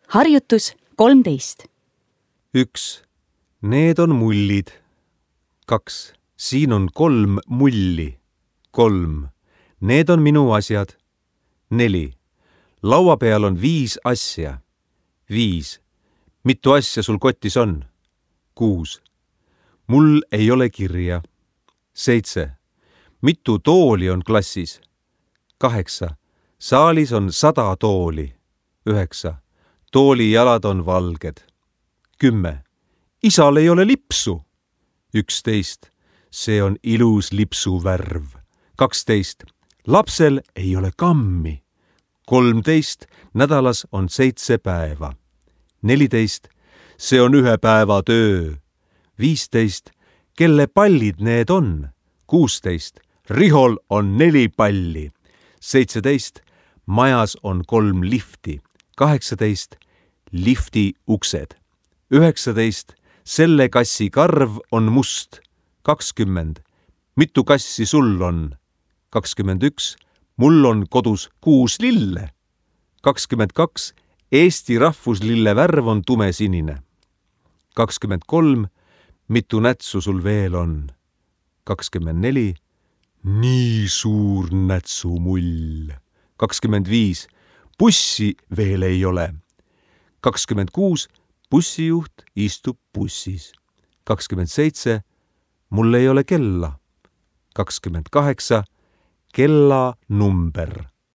Harjutus 13. 1. Need on mullid. 2. Siin on 3 mulli. 3. Need on minu asjad. 4. Laua peal on 5 asja. 5. Mitu asja sul kotis on? 6. Mul ei ole kirja. 7. Mitu tooli on klassis? 8. Saalis on 100 tooli. 9. Tooli jalad on valged. 10. Isal ei ole lipsu. 11. See on ilus lipsuvärv. 12. Lapsel ei ole kammi. 13. Nädalas on 7 päeva. 14. See on 1 päeva töö. 15. Kelle pallid need on? 16. Rihol on 4 palli. 17. Majas on 3 lifti. 18. Lifti uksed. 19. Selle kassi karv on must. 20. Mitu kassi sul on? 21. Mul on kodus 6 lille. 22. Eesti rahvuslille värv on tumesinine. 23. Mitu nätsu sul veel on? 24. Nii suur nätsumull. 25. Bussi veel ei ole. 26. Bussijuht istub bussis. 27. Mul ei ole kella. 28. Kella number.